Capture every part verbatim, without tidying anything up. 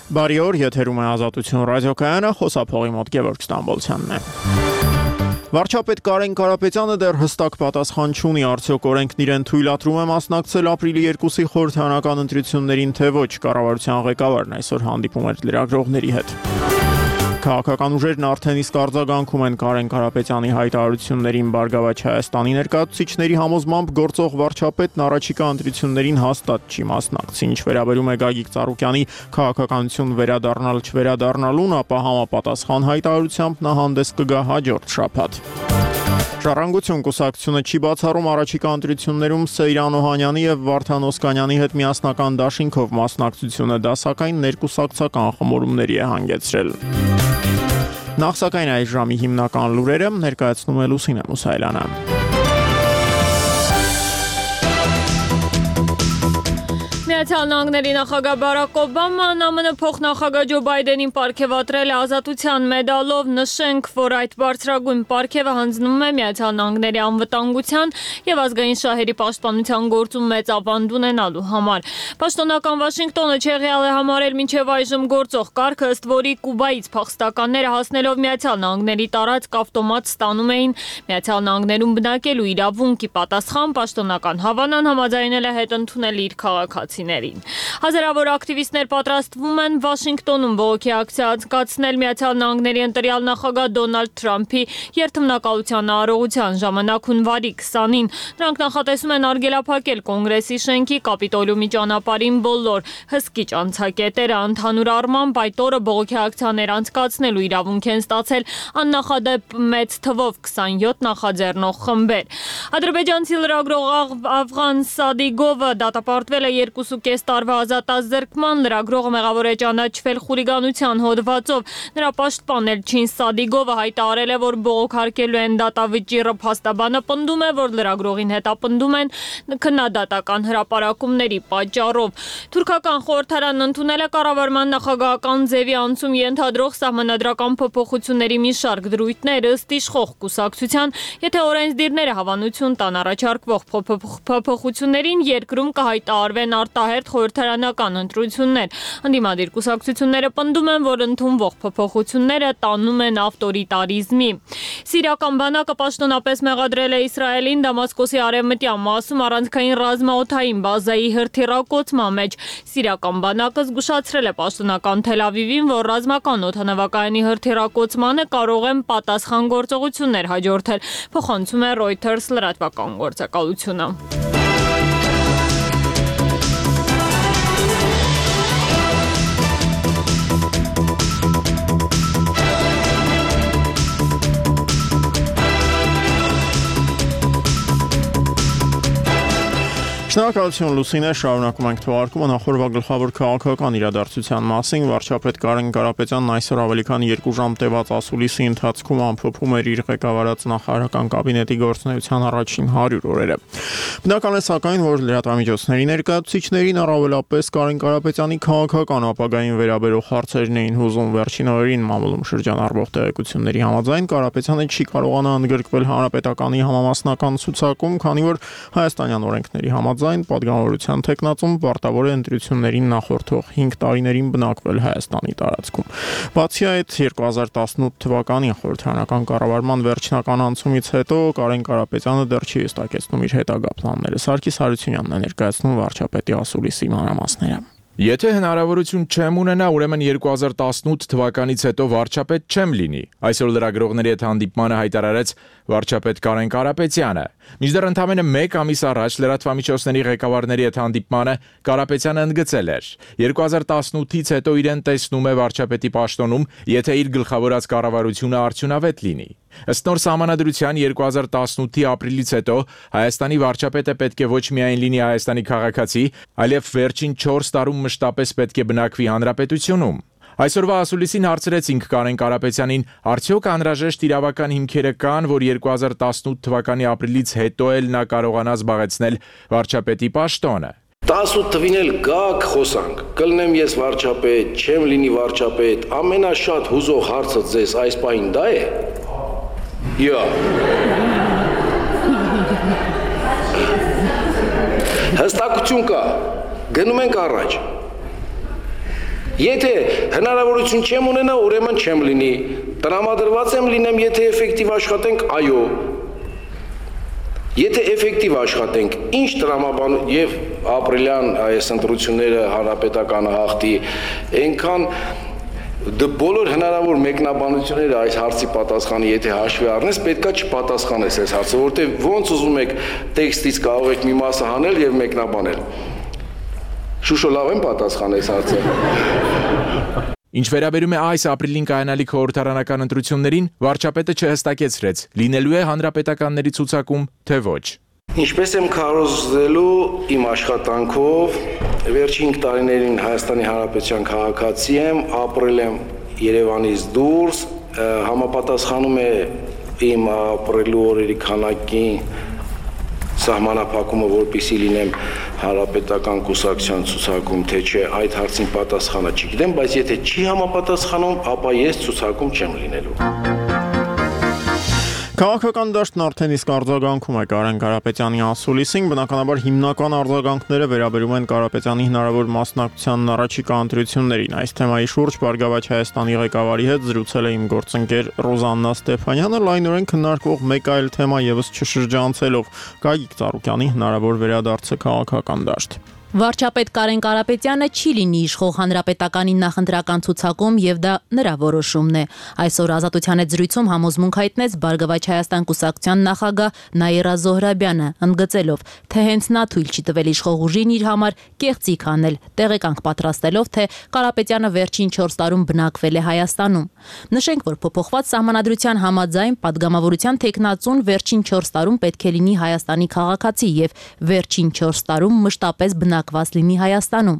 Բարի օր, եթերում է Ազատություն ռադիոկայանը, խոսափողի մոտ Գևորգ Ստամբոլցյանն է։ Վարչապետ Կարեն Կարապետյանը դեռ հստակ պատասխան չունի, արդյոք օրենքն իրեն թույլատրում է մասնակցել ապրիլի երկուսի խորհրդարանական ընտրություններին, թե ոչ, կառավարության ղեկավարն այսօր հանդիպում էր լրագրողների հետ։ Քաղաքական ուժերն արդեն իսկ արձագանքում են Կարեն Կարապետյանի հայտարարություններին, Բարգավաճ Հայաստանի ներկայացուցիչների համոզմամբ գործող վարչապետն առաջիկա ընտրություններին հաստատ չի մասնակցի, ինչ վերաբերում է Գագիկ Ծառուկյանի քաղաքականություն վերադառնալ չվերադառնալուն, ապա համապատասխան հայտարարությամբ նա հանդես կգա հաջորդ շաբաթ։ Ժառանգություն կուսակցությունը չի բացառում առաջիկա ընտրություններում Սեյրան Օհանյանի եւ Վարդան Օսկանյանի հետ միասնական դաշինքով մասնակցությունը, դա սակայն ներկուսակցական խմորումների է հանգեցրել։ Նախ սակայն այս ժամի հիմնական լուրերը ներկայացնում է Լուսինե Մուսայելյանը։ Միացյալ Նահանգների նախագահ Բարակ Օբաման ԱՄՆ փոխնախագահ Ջո Բայդենին պարգևատրել է ազատության մեդալով, նշենք, որ այդ բարձրագույն պարգևը հանձնվում է Միացյալ Նահանգների անվտանգության եւ ազգային շահերի պաշտպանության գործում մեծ ավանդ ունենալու համար։ Պաշտոնական Վաշինգտոնը չեղյալ է համարել մինչև այժմ գործող կարգը, ըստ որի Կուբայից փախստականները հասնելով Միացյալ Նահանգների տարածք ավտոմատ ստանում էին Միացյալ Նահանգներում բնակելու իրավունքի պատասխան, պաշտոնական Հավանան համաձայնել է հետ ընդունել իր քաղաքացի։ Հազարավոր ակտիվիստներ պատրաստվում են Վաշինգտոնում բողոքի ակցիա անցկացնել Միացյալ Նահանգների ընտրյալ նախագահ Դոնալդ Թրամփի երթմնակալության արարողության ժամանակ հունվարի քսանին։ Նրանք նախատեսում են արգելափակել Կոնգրեսի շենքի Կապիտոլիումի ճանապարհին բոլոր հսկիչ անցակետերը, ընդհանուր առմամբ այդ օրը բողոքի ակցիաներ անցկացնելու իրավունք են ստացել աննախադեպ մեծ թվով քսանյոթ նախաձեռնող խմբեր։ Ադրբեջանցի լրագրող Աֆղան Սադիգովը դատապարտվել է երկու ու կես տարվա ազատազրկման, լրագրողը մեղավոր է ճանաչվել խուլիգանության հոդվածով։ Նրա պաշտպան Էլչին Սադիգովը հայտարարել է, որ բողոքարկելու են դատավճիռը, փաստաբանը պնդում է, որ լրագրողին հետապնդում են քննադատական հրապարակումների պատճառով։ Թուրքական խորհրդարանն ընդունել է կառավարման նախագահական ձևի անցում ենթադրող սահմանադրական փոփոխությունների մի շարք դրույթներ, ըստ իշխող կուսակցության, եթե օրենսդիրները հավանություն տան առաջարկվող փոփոխություններին, երկրում կհայտարարվեն արտահերթ խորհրդարանական ընտրություններ։ Ընդդիմադիր կուսակցությունները պնդում են, որ ընդունվող փոփոխությունները տանում են ավտորիտարիզմի։ Սիրիական բանակը պաշտոնապես մեղադրել է Իսրայելին Դամասկոսի արևմտյան մասում առանցքային ռազմաօդային բազայի հրթիռակոծման մեջ։ Սիրիական բանակը զգուշացրել է պաշտոնական Թել Ավիվին, որ ռազմական օդանավակայանի հրթիռակոծմանը կարող են պատասխան գործողություններ հաջորդել, փոխանցում է Reuters լրատվական գործակալությունը։ Շնորհակալություն Լուսինե, շարունակում ենք թողարկումը նախորդ գլխավոր քաղաքական իրադարձության մասին։ Վարչապետ Կարեն Կարապետյանն այսօր ավելի քան երկու ժամ տևած ասուլիսի ընթացքում ամփոփում էր իր ղեկավարած նախարարական կաբինետի գործունեության առաջին հարյուր օրերը։ Բնական է սակայն, որ լրատվամիջոցների ներկայացուցիչներին, առավելապես Կարեն Կարապետյանի քաղաքական ապագային վերաբերող հարցերն էին հուզում։ Վերջին օրերին մամուլում շրջանառվող տեղեկությունների համաձայն Կարապետյանը չի կարողանա ընդգրկվել հանրապետականի համամասնական ցուցակում, քանի որ հայաստանյան օրենքների համաձայն պատգամավորության տեխնացում պարտավոր է ընտրություններին նախորդող հինգ տարիներին բնակվել Հայաստանի տարածքում։ Բացի այդ, երկու հազար տասնութ թվականի խորհրդարանական կառավարման վերջնական անցումից հետո Կարեն Կարապետյանը դեռ չի հստակեցնում իր հետագա պլանները։ Սարգիս Հարությունյանն է ներկայացնում վարչապետի ասուլիսի մանրամասները։ Եթե հնարավորություն չեմ ունենա, ուրեմն երկու հազար տասնութ թվականից հետո վարչապետ չեմ լինի։ Այսօր լրագրողների հետ հանդիպմանը հայտարարեց վարչապետ Կարեն Կարապետյանը։ Մինչդեռ ընդամենը մեկ ամիս առաջ լրատվամիջոցների ղեկավարների հետ հանդիպմանը Կարապետյանը ընդգծել էր. երկու հազար տասնութից հետո իրեն տեսնում է վարչապետի պաշտոնում, եթե իր գլխավորած կառավարությունը արդյունավետ լինի։ Ըստ նոր սահմանադրության երկու հազար տասնութի ապրիլից հետո Հայաստանի վարչապետը պետք է ոչ միայն լինի Հայաստանի քաղաքացի, այլև վերջին չորս տարում մշտապես պետք է բնակվի հանրապետությունում։ Այսօրվա ասուլիսին հարցրեցինք Կարեն Կարապետյանին, արդյոք անհրաժեշտ իրավական հիմքերը կան, որ երկու հազար տասնութ թվականի ապրիլից հետո էլ նա կարողանա զբաղեցնել վարչապետի պաշտոնը։ տասնութ թվին էլ գաք խոսանք, կլնեմ ես վարչապետ, չեմ լինի վարչապետ, ամենաշատ հուզող հարցը ձեզ այս պահին դա է։ Յա։ Հստակություն կա, գնում ենք առաջ։ Եթե հնարավորություն չեմ ունենա, ուրեմն չեմ լինի։ Տրամադրված եմ լինեմ, եթե էֆեկտիվ աշխատենք, այո։ Եթե էֆեկտիվ աշխատենք, ինչ տրամաբան եւ ապրիլյան այս ընտրությունները հանրապետականը հաղթի, այնքան դե բոլոր հնարավոր մեկնաբանությունները այս հարցի պատասխանը եթե հաշվի առնես, պետքա չպատասխանես այս հարցը, որտեղ ոնց ուզում եք տեքստից կարող եք մի մասը հանել եւ մեկնաբանել։ Շուշո լավ եմ պատասխանես հարցը։ Ինչ վերաբերում է այս ապրիլին կայանալիք խորհրդարանական ընտրություններին, վարչապետը չհստակեցրեց, լինելու է հանրապետականների ցուցակում, թե ոչ։ Ինչպես եմ քարոզելու իմ աշխատանքով, վերջին տարիներին Հայաստանի Հանրապետության քաղաքացի եմ, ապրել եմ Երևանից դուրս, համապատասխանում է իմ ապրելու օրերի քանակին սահմանափակումը, որպեսզի լինեմ հանրապետական կուսակցության ցուցակում, թե չէ, այդ հարցին պատասխանը չգիտեմ, բայց եթե չի համապատասխանում, ապա ես ցուցակում չեմ լինելու։ Քաղաքական դաշտն արդեն իսկ արձագանքում է Կարեն Կարապետյանի ասուլիսին, բնականաբար հիմնական արձագանքները վերաբերում են Կարապետյանի հնարավոր մասնակցությանն առաջիկա ընտրություններին։ Այս թեմայի շուրջ Բարգավաճ Հայաստանի ղեկավարի հետ զրուցել է իմ գործընկեր Ռոզաննա Ստեփանյանը, լայնորեն քննարկող մեկ այլ թեմա եւս չշրջանցելով՝ Գագիկ Ծառուկյանի հնարավոր վերադարձը քաղաքական դաշտ։ Վարչապետ Կարեն Կարապետյանը չի լինի իշխող հանրապետականի նախընտրական ցուցակում եւ դա նրա որոշումն է։ Այսօր Ազատության հետ զրույցում համոզմունք հայտնեց Բարգավաճ Հայաստան կուսակցության նախագահ Նաիրա Զոհրաբյանը, ընդգծելով, թե հենց նա թույլ չի տվել իշխող ուժին իր համար կեղծիք անել, տեղեկանք պատրաստելով, թե Կարապետյանը վերջին չորս տարում բնակվել է Հայաստանում։ Նշենք, որ փոփոխված սահմանադրության համաձայն падգամավորության տեխնացուն վերջին չորս տարում պետք է լինի Հայաստանի քաղաքացի եւ վերջին չորս տարում մշտապես բնակված լինի Հայաստանում։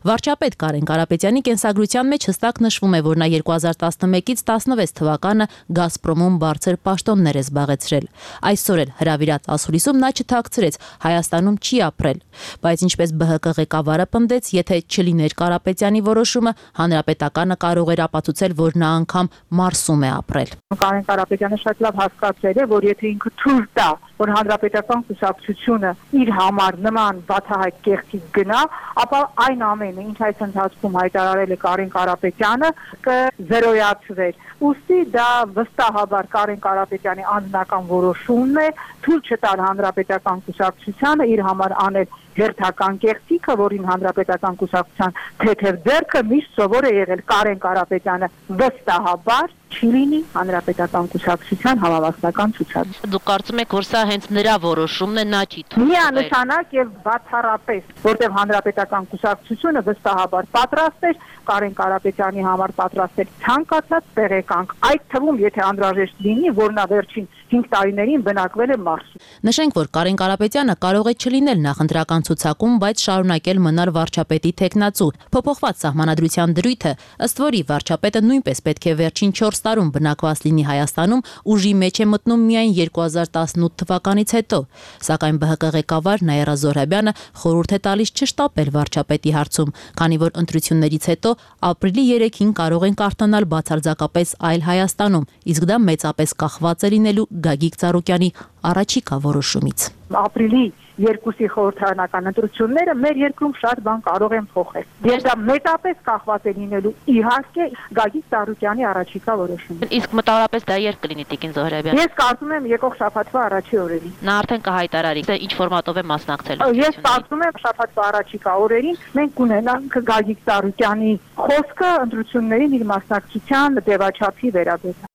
Վարչապետ Կարեն Կարապետյանի կենսագրության մեջ հստակ նշվում է, որ նա երկու հազար տասնմեկից տասնվեց թվականը Գազպրոմում բարձր պաշտոններ է զբաղեցրել։ Այսօր էլ հրավիրած ասուլիսում նա չթաքցրեց Հայաստանում չի ապրել, բայց ինչպես Բ Հ Կ ղեկավարը պնդեց, եթե չլիներ Կարապետյանի որոշումը, հանրապետականը կարող էր ապացուցել, որ նա անգամ Մարսում է ապրել։ Կարեն Կարապետյանը շատ լավ հասկացել է, որ եթե ինքը թույլ տա, որ հանրապետական կուսակցությունը իր համար նման բացահայտ կեղծիք գնա, ապա այն ամենը, ինչ այս ընթացքում հայտարարել է Կարեն Կարապետյանը, կզերոյացվեր։ Ուստի դա վստահաբար Կարեն Կարապետյանի անձնական որոշումն է, թույլ չտալ հանրապետական կուսակցությանը իր համար անել հերթական կեղծիքը, որին հանրապետական կուսակցության թեթև ձեռքը միշտ սովոր է եղել Կարեն Կարապետյանը վստահաբար չի լինի հանրապետական կուսակցության համավարակական ցուցակ։ Դուք կարծում եք, որ սա հենց նրա որոշումն է, նա չի թույլ տվել։ Միանշանակ եւ բացառապես, որտեղ հանրապետական կուսակցությունը վստահաբար պատրաստ էր Կարեն Կարապետյանի համար պատրաստել ցանկացած տեղեկանք, այդ թվում եթե անհրաժեշտ լինի, որ նա վերջին հինգ տարիներին բնակվել է Մարսում։ Նշենք, որ Կարեն Կարապետյանը կարող է չլինել նախընտրական ցուցակում, բայց շարունակել մնալ վարչապետի տեխնացու։ Փոփոխված սահմանադրության դրույթը, ըստ որի վարչապետը նույնպես պետք է վերջին չորս տարում բնակված լինի Հայաստանում, ուժի մեջ է մտնում միայն երկու հազար տասնութ թվականից հետո։ Սակայն Բ Հ Կ ղեկավար Նաիրա Զոհրաբյանը խորհուրդ է տալիս չշտապել վարչապետի հարցում, քանի որ ընտրություններից հետո ապրիլի երեքին կարող են կարդանալ բացարձակապես այլ Հայաստանում, իսկ դա մեծապես կախված է լինելու Գագիկ Ծառուկյանի առաջիկա որոշումից։ Ապրիլի երկուսի խորհրդարանական ընտրությունները մեր երկրում շատ բան կարող են փոխել։ Եվ դա մեծապես կախված է լինելու իհարկե Գագիկ Ծառուկյանի առաջիկա որոշումից։ Իսկ մտավորապես դա երբ կլինի Տիկին Զոհրաբյան։ Ես կարծում եմ եկող շաբաթվա առաջի օրերին։ Նա արդեն կհայտարարի, թե ինչ ֆորմատով է մասնակցելու։ Ես կարծում եմ շաբաթվա առաջիկա օրերին մենք կունենանք Գագիկ Ծառուկյանի խոսքը ընտրություններին իր մասնակցության ձևաչափի վերաբերյալ։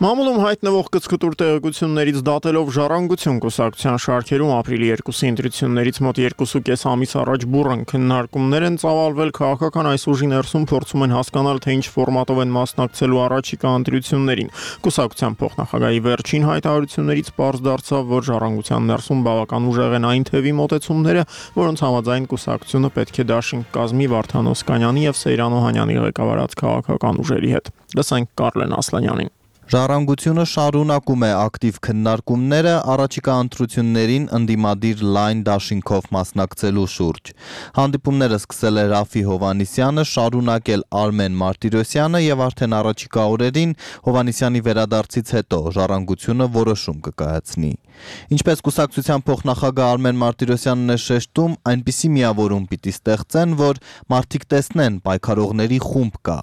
Մամուլում հայտնվող կցկտուր տեղեկություններից դատելով Ժառանգություն կուսակցության շարքերում ապրիլի երկուսի ընտրություններից մոտ երկուսուկես ամիս առաջ բուռն քննարկումներ են ծավալվել քաղաքական այս ուժի ներսում փորձում են հասկանալ, թե ինչ ֆորմատով են մասնակցելու առաջիկա ընտրություններին։ Կուսակցության փոխնախագահի վերջին հայտարարություններից պարզ դարձավ, որ Ժառանգության ներսում բավական ուժեղ են այն թևի մոտեցումները, որոնց համաձայն կուսակցությունը պետք է դաշինք կազմի Վարդան Օսկանյանի եւ Սեյրան Օհանյանի ղեկավարած քաղաքական ուժերի հետ։ Լսենք Կարլեն Ասլանյանին։ Ժառանգությունը շարունակում է ակտիվ քննարկումները առաջիկա ընտրություններին ընդդիմադիր լայն դաշինքով մասնակցելու շուրջ։ Հանդիպումները սկսել է Ռաֆի Հովհաննիսյանը, շարունակել Արմեն Մարտիրոսյանը եւ արդեն առաջիկա օրերին Հովհաննիսյանի վերադարձից հետո Ժառանգությունը որոշում կկայացնի։ Ինչպես կուսակցության փոխնախագահ Արմեն Մարտիրոսյանն է շեշտում, այնպիսի միավորում պիտի ստեղծեն, որ մարդիկ տեսնեն պայքարողների խումբ կա։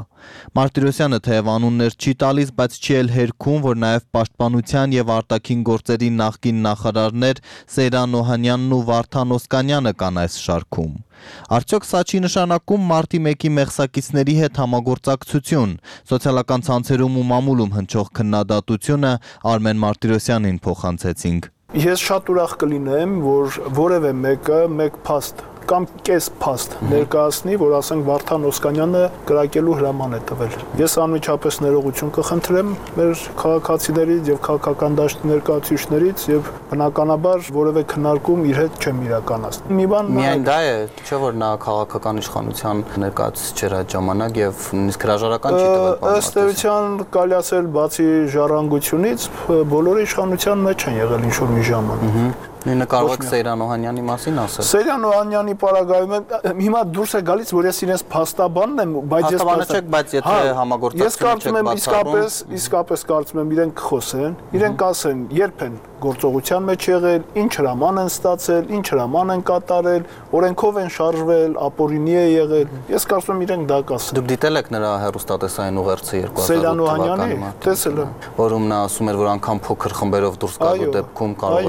Մարտիրոսյանը թեև անուններ չի տալիս, բայց չի էլ հերքում, որ նաև պաշտպանության եւ արտաքին գործերի նախկին նախարարներ Սեյրան Օհանյանն ու Վարդան Օսկանյանը կան այս շարքում։ Արդյոք սա չի նշանակում մարտի մեկի մեղսակիցների հետ համագործակցություն։ Սոցիալական ցանցերում ու մամուլում հնչող քննադատությունը Արմեն Մարտիրոսյանին փոխանցեցինք։ Ես շատ ուրախ կլինեմ, որ որևէ մեկը մեկ փաստ կամ կես փաստ ներկայացնի, որ ասենք Վարդան Օսկանյանը կրակելու հրաման է տվել։ Ես անմիջապես ներողություն կխնդրեմ մեր քաղաքացիներից եւ քաղաքական դաշտի ներկայացուցիչներից եւ բնականաբար որևէ քննարկում իր հետ չեմ իրականացնի։ Մի բան միայն դա է, չէ՞ որ նա քաղաքական իշխանության ներկայացուցիչ էր այդ ժամանակ եւ նույնիսկ հրաժարական չի տվել։ Ըստ էության կարելի ասել բացի ժառանգությունից բոլորը իշխանության մեջ են եղել ինչ որ մի ժամանակ։ Նույնը կարող եք Սեյրան Օհանյանի մասին ասել։ Սեյրան Օհանյանի պարագայում հիմա դուրս է գալիս, որ ես իրենց փաստաբանն եմ, բայց ես փաստաբանը չեք, բայց եթե համագործակցություն չեք բացառում, իսկապես, իսկապես կարծում եմ իրենք կխոսեն, իրենք ասեն, երբ են գործողության մեջ եղել, ինչ հրաման են ստացել, ինչ հրաման են կատարել, օրենքով են շարժվել, ապօրինի է եղել։ Ես կարծում եմ իրենք դա կասեն։ Դուք դիտել եք նրա հեռուստատեսային ուղերձը Սեյրան Օհանյանի, տեսել եմ, որում նա ասում էր, որ անգամ փոքր խմբերով դուրս գալու դեպքում կարող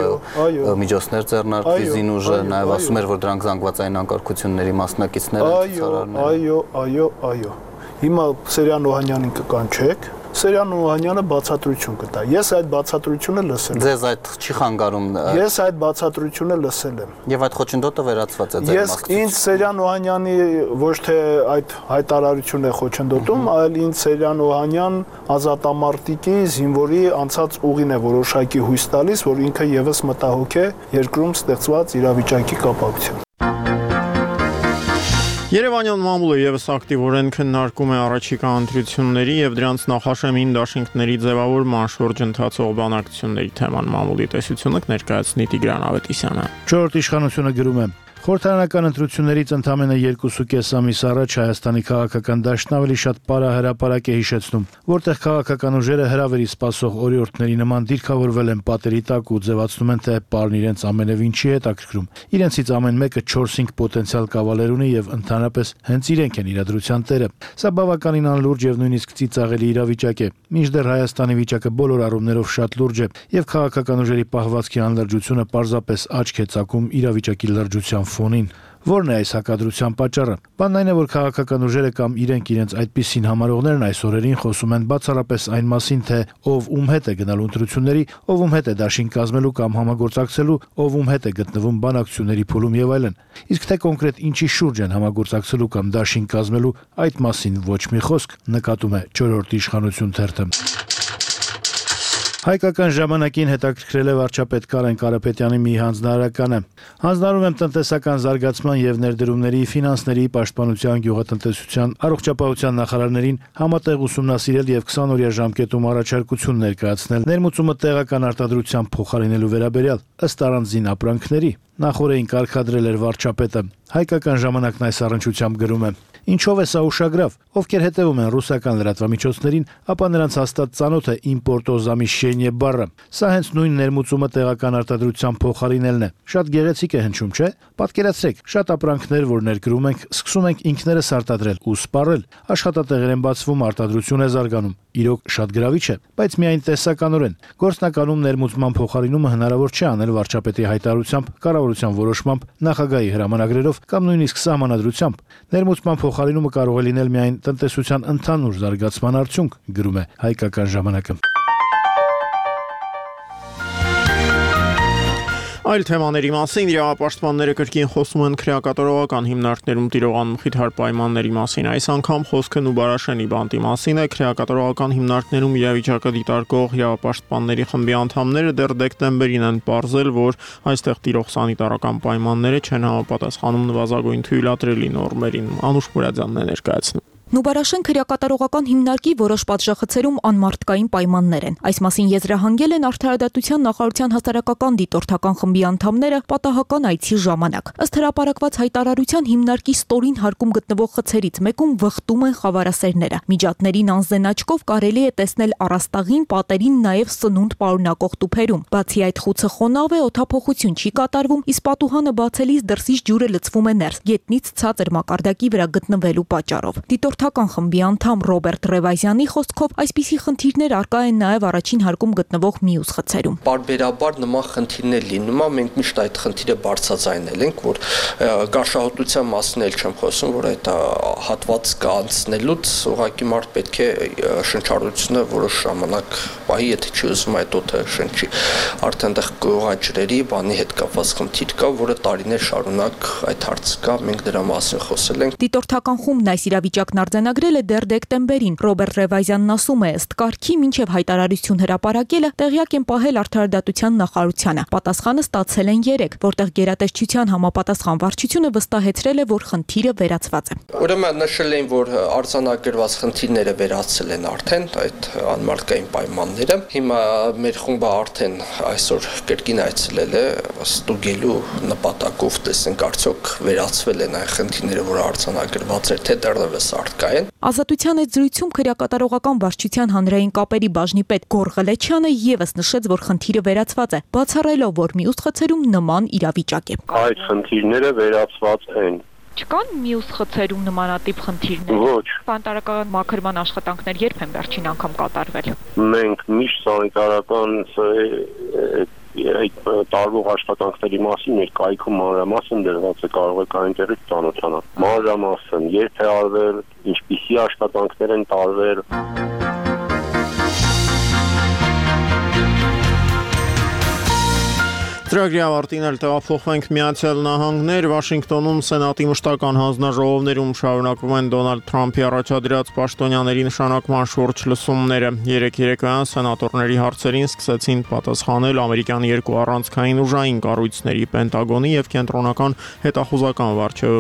է միջոցներ ձեռնարկվի զինուժը, նաև ասում էր, որ դրանք զանգվածային անկարգությունների մասնակիցներ են ցուցարարները։ Այո, այո, այո։ Հիմա Սեյրան Օհանյանին կկանչեք, Սեյրան Օհանյանը բացատրություն կտա։ Ես այդ բացատրությունը լսել եմ։ Ձեզ այդ չի խանգարում։ Ես այդ բացատրությունը լսել եմ։ Եվ այդ խոչընդոտը վերացված է ձեր Ես ինձ Սեյրան Օհանյանի ոչ թե այդ հայտարարությունն է խոչընդոտում, այլ ինձ Սեյրան Օհանյան ազատամարտիկի զինվորի անցած ուղին է որոշակի հույս տալիս, որ ինքը եւս մտահոգ է երկրում ստեղծված իրավիճակի կապակցությամբ։ Երևանյան մամուլը եւս ակտիվորեն քննարկում է առաջիկա ընտրությունների եւ դրանց նախաշեմին դաշինքների ձևավորման շուրջ ընթացող բանակցությունների թեման մամուլի տեսությունը կներկայացնի Տիգրան Ավետիսյանը։ Չորրորդ իշխանությունը գրում է. Խորհրդարանական ընտրություններից ընդամենը երկուսուկես ամիս առաջ Հայաստանի քաղաքական դաշտն ավելի շատ պարահրապարակ է հիշեցնում, որտեղ քաղաքական ուժերը հրավերի սպասող օրիորդների նման դիրքավորվել են պատերի տակ ու ձևացնում են, թե պարն իրենց ամենևին չի հետաքրքրում։ Իրենցից ամեն մեկը չորս-հինգ պոտենցիալ կավալեր ունի եւ ընդհանրապես հենց իրենք են իրադրության տերը։ Սա բավականին անլուրջ եւ նույնիսկ ծիծաղելի իրավիճակ է։ Մինչդեռ Հայաստանի վիճակը բոլոր առումներով շատ լուրջ է եւ քաղաքական ուժերի պահվածքի անլրջությունը պարզապես աչք է ծակում իրավիճակի լրջության ֆոնին։ Որն է այս հակադրության պատճառը։ Բանն այն է, որ քաղաքական ուժերը կամ իրենք իրենց այդպիսին համարողներն այս օրերին խոսում են բացառապես այն մասին, թե ով ում հետ է գնալու ընտրությունների, ով ում հետ է դաշինք կազմելու կամ համագործակցելու, ով ում հետ է գտնվում բանակցությունների փուլում եւ այլն։ Իսկ թե կոնկրետ ինչի շուրջ են համագործակցելու կամ դաշինք կազմելու, այդ մասին ոչ մի խոսք, նկատում է չորրորդ իշխանություն թերթը։ Հայկական ժամանակին հետաքրքրել է վարչապետ Կարեն Կարապետյանի մի հանձնարարականը։ Հանձնարարում եմ տնտեսական զարգացման եւ ներդրումների, ֆինանսների, պաշտպանության, գյուղատնտեսության, առողջապահության նախարարներին համատեղ ուսումնասիրել եւ քսան օրյա ժամկետում առաջարկություն ներկայացնել ներմուծումը տեղական արտադրությամբ փոխարինելու վերաբերյալ ըստ առանձին ապրանքների։ Նախորդին կարգադրել էր վարչապետը։ Հայկական ժամանակն այս առնչությամբ գրում է. Ինչով է սա ուշագրավ, ովքեր հետևում են ռուսական լրատվամիջոցներին, ապա նրանց հաստատ ծանոթ է իմպորտոզամիշենիե բառը։ Սա հենց նույն ներմուծումը տեղական արտադրությամբ փոխարինելն է։ Շատ գեղեցիկ է հնչում, չէ՞։ Պատկերացրեք, շատ ապրանքներ, որ ներկրում ենք, սկսում ենք ինքներս արտադրել ու սպառել։ Աշխատատեղեր են բացվում, արտադրություն է զարգանում։ Իրոք շատ գրավիչ է, բայց միայն տեսականորեն։ Գործնականում ներմուծման փոխարինումը հնարավոր չէ անել վարչապետի հայտարարությամբ, կառավարության որոշմամբ, նախագահի հրամանագրերով կամ նույնիսկ սահմանադրությամբ։ Ներմուծման փոխարինումը կարող է լինել միայն տնտեսության ընդհանուր զարգացման արդյունք, գրում է Հայկական ժամանակը։ Այլ թեմաների մասին իրավապաշտպանները կրկին խոսում են քրեակատարողական հիմնարկներում տիրող անմխիթար պայմանների մասին։ Այս անգամ խոսքը Նուբարաշենի բանտի մասին է։ Քրեակատարողական հիմնարկներում իրավիճակը դիտարկող իրավապաշտպանների խմբի անդամները դեռ դեկտեմբերին են պարզել, որ այստեղ տիրող սանիտարական պայմանները չեն համապատասխանում նվազագույն թույլատրելի նորմերին։ Անուշ Մուրադյանն է ներկայացնում։ Նուբարաշեն քրեակատարողական հիմնարկի որոշ պատժախցերում անմարդկային պայմաններ են։ Այս մասին եզրահանգել են Արդարադատության նախարարության հասարակական դիտորդական խմբի անդամները պատահական այցի ժամանակ։ Ըստ հրապարակված հայտարարության հիմնարկի ստորին հարկում գտնվող խցերից մեկում վխտում են խավարասերները։ Միջատներին անզեն աչքով կարելի է տեսնել առաստաղին, պատերին, նաև սնունդ պարունակող տուփերում։ Բացի այդ խուցը խոնավ է, օդափոխություն չի կատարվում, իսկ պատուհանը բացելիս դրսից ջուրը լցվում է ներս, գետնից ցածր մակարդակի վրա գտնվելու պատճառով։ Դիտորդական խմբի անդամ Ռոբերտ Ռևազյանի խոսքով այսպիսի խնդիրներ արկա են նաև առաջին հարկում գտնվող մյուս խցերում։ Բարբերաբար նման խնդիրներ լինում է, մենք միշտ այդ խնդիրը բարձրաձայնել ենք, որ գարշահոտության մասին էլ չեմ խոսում, որ այդ հատված կանցնելուց ուղղակի մարդ պետք է շնչառությունը որոշ ժամանակ պահի, եթե չի ուզում այդ օդը շնչի։ Արդեն դեռ գյուղաճրերի բանի հետ կապված խնդիր կա, որը տարիներ շարունակ այդ հարցը կա, մենք դրա մասին խոսել ենք։ Դիտորդական խումբն այս իրավիճակն արձանագրել է դեռ դեկտեմբերին։ Ռոբերտ Ռևազյանն ասում է, ըստ կարգի մինչև հայտարարություն հրապարակելը տեղյակ են պահել Արդարադատության նախարարությանը։ Պատասխանը ստացել են երեք, որտեղ գերատեսչության համապատասխան վարչությունը վստահեցրել է, որ խնդիրը վերացված է։ Ուրեմն նշել են, որ արձանագրված խնդիրները վերացել են արդեն այդ անմարդկային պայմանները։ Հիմա մեր խումբը արդեն այսօր կրկին այցելել է ստուգելու նպատակով, տեսնենք արդյոք վերացվել են այն խնդիրները, որ արձանագրված էր, թե դեռևս արկա են։ Ազատության այդ զրույցում քրեակատարողական վարչության հանրային կապերի բաժնի պետ Գոր Ղլեչյանը եւս նշեց, որ խնդիրը վերացված է, բացառելով, որ մյուս խցերում նման իրավիճակ է։ Այդ խնդիրները վերացված են։ Չկան մյուս խցերում նմանատիպ խնդիրներ։ Ոչ։ Բանտարական մաքրման աշխատանքներ երբ են վերջին անգամ կատարվել։ Մենք միշտ սանիտարական այդ տարվող աշխատանքների մասին մեր կայքում մանրամասն դրված է, կարող եք այնտեղից ծանոթանալ։ Մանրամասն երբ է արվել, ինչպիսի աշխատանքներ են տարվել։ Ծրագրի ավարտին էլ տեղափոխվենք Միացյալ Նահանգներ։ Վաշինգտոնում Սենատի մշտական հանձնաժողովներում շարունակվում են Դոնալդ Թրամփի առաջադրած պաշտոնյաների նշանակման շուրջ լսումները։ Երեք երեկոյան սենատորների հարցերին սկսեցին պատասխանել ամերիկյան երկու առանցքային ուժային կառույցների Պենտագոնի եւ Կենտրոնական հետախուզական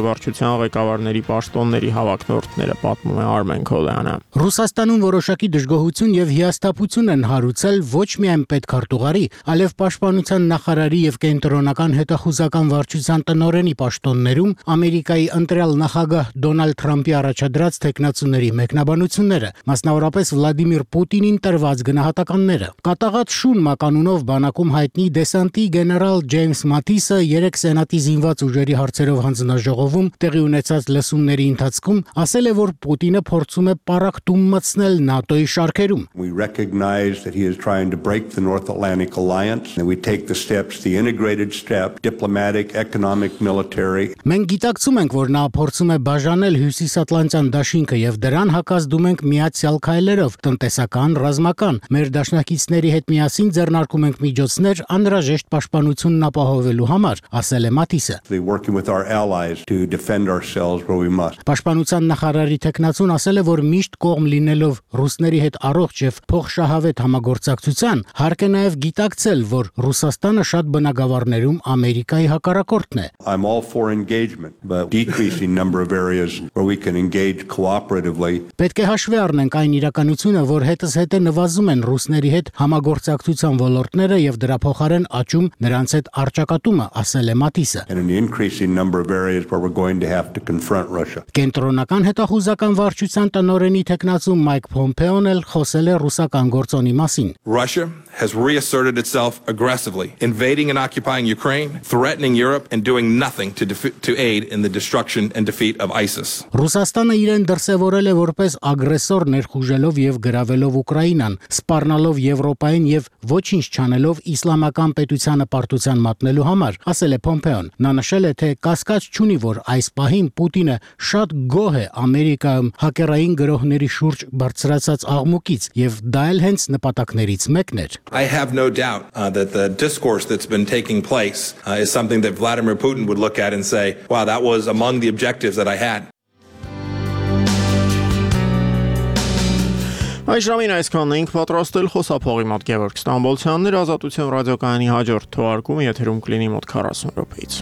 վարչության ղեկավարների պաշտոնների հավակնորդները, պատմում է Արմեն Քոլյանը։ Ռուսաստանում որոշակի դժգոհություն եւ հիասթափություն են հարուցել ոչ միայն պետքարտուղարի, այլև պաշտպանության նախարարի եւ կենտրոնական հետախուզական վարչության տնօրենի պաշտոններում Ամերիկայի ընտրյալ նախագահ Դոնալդ Թրամփի առաջադրած տեխնացուների մեկնաբանությունները, մասնավորապես Վլադիմիր Պուտինին տրված գնահատականները։ Կատաղած շուն մականունով բանակում հայտնի դեսանտի գեներալ Ջեյմս Մաթիսը երեք սենատի զինված ուժերի հարցերով հանձնաժողովում տեղի ունեցած լսումների ընթացքում ասել է, որ Պուտինը փորձում է պառակտում մտցնել ՆԱՏՕ-ի շարքերում։ We recognize that he is trying to break the North Atlantic Alliance and we take the steps the integrated step, diplomatic, economic, military. Մենք գիտակցում ենք, որ նա փորձում է բաժանել Հյուսիսատլանտյան դաշինքը եւ դրան հակազդում ենք միացյալ քայլերով, տնտեսական, ռազմական։ Մեր դաշնակիցների հետ միասին ձեռնարկում ենք միջոցներ անհրաժեշտ պաշտպանությունն ապահովելու համար, ասել է Մաթիսը։ Working with our allies to defend ourselves where we must. Պաշտպանության նախարարի տեխնացուն ասել է, որ միշտ կողմ լինելով ռուսների հետ առողջ եւ փոխշահավետ համագործակցության, հարկ է նաեւ գիտակցել, որ Ռուսաստանը շատ բնակավարներում Ամերիկայի հակառակորդն է։ I'm all for engagement, but decreasing number of areas where we can engage cooperatively. Պետք է հաշվի առնենք այն իրականությունը, որ հետս հետը նվազում են ռուսների հետ համագործակցության ոլորտները եւ դրա փոխարեն աճում նրանց հետ առճակատումը, ասել է Մաթիսը։ And an increasing number of areas where we're going to have to confront Russia. Կենտրոնական հետախուզական վարչության տնօրենի տեխնացու Մայք Փոմպեոն էլ խոսել է ռուսական գործոնի մասին։ Russia has reasserted itself aggressively, invading and occupying Ukraine, threatening Europe and doing nothing to to aid in the destruction and defeat of ISIS. Ռուսաստանը իրեն դրսևորել է որպես ագրեսոր ներխուժելով եւ գրավելով Ուկրաինան, սպառնալով Եվրոպային եւ ոչինչ չանելով իսլամական պետությանը պարտության մատնելու համար, ասել է Փոմպեոն։ Նա նշել է, թե կասկած չունի, որ այս պահին Պուտինը շատ գոհ է Ամերիկայում հակերային գրոհների շուրջ բարձրացած աղմուկից եւ դա էլ հենց նպատակներից մեկն էր։ I have no doubt uh, that the discourse that's been taking place uh, is something that Vladimir Putin would look at and say, wow, that was among the objectives that I had. Այս ժամին այսքանն ենք պատրաստել խոսափողի մոտ Գևորգ Ստամբոլցյանն էր, Ազատություն ռադիոկայանի հաջորդ թողարկումը եթերում կլինի մոտ քառասուն րոպեից։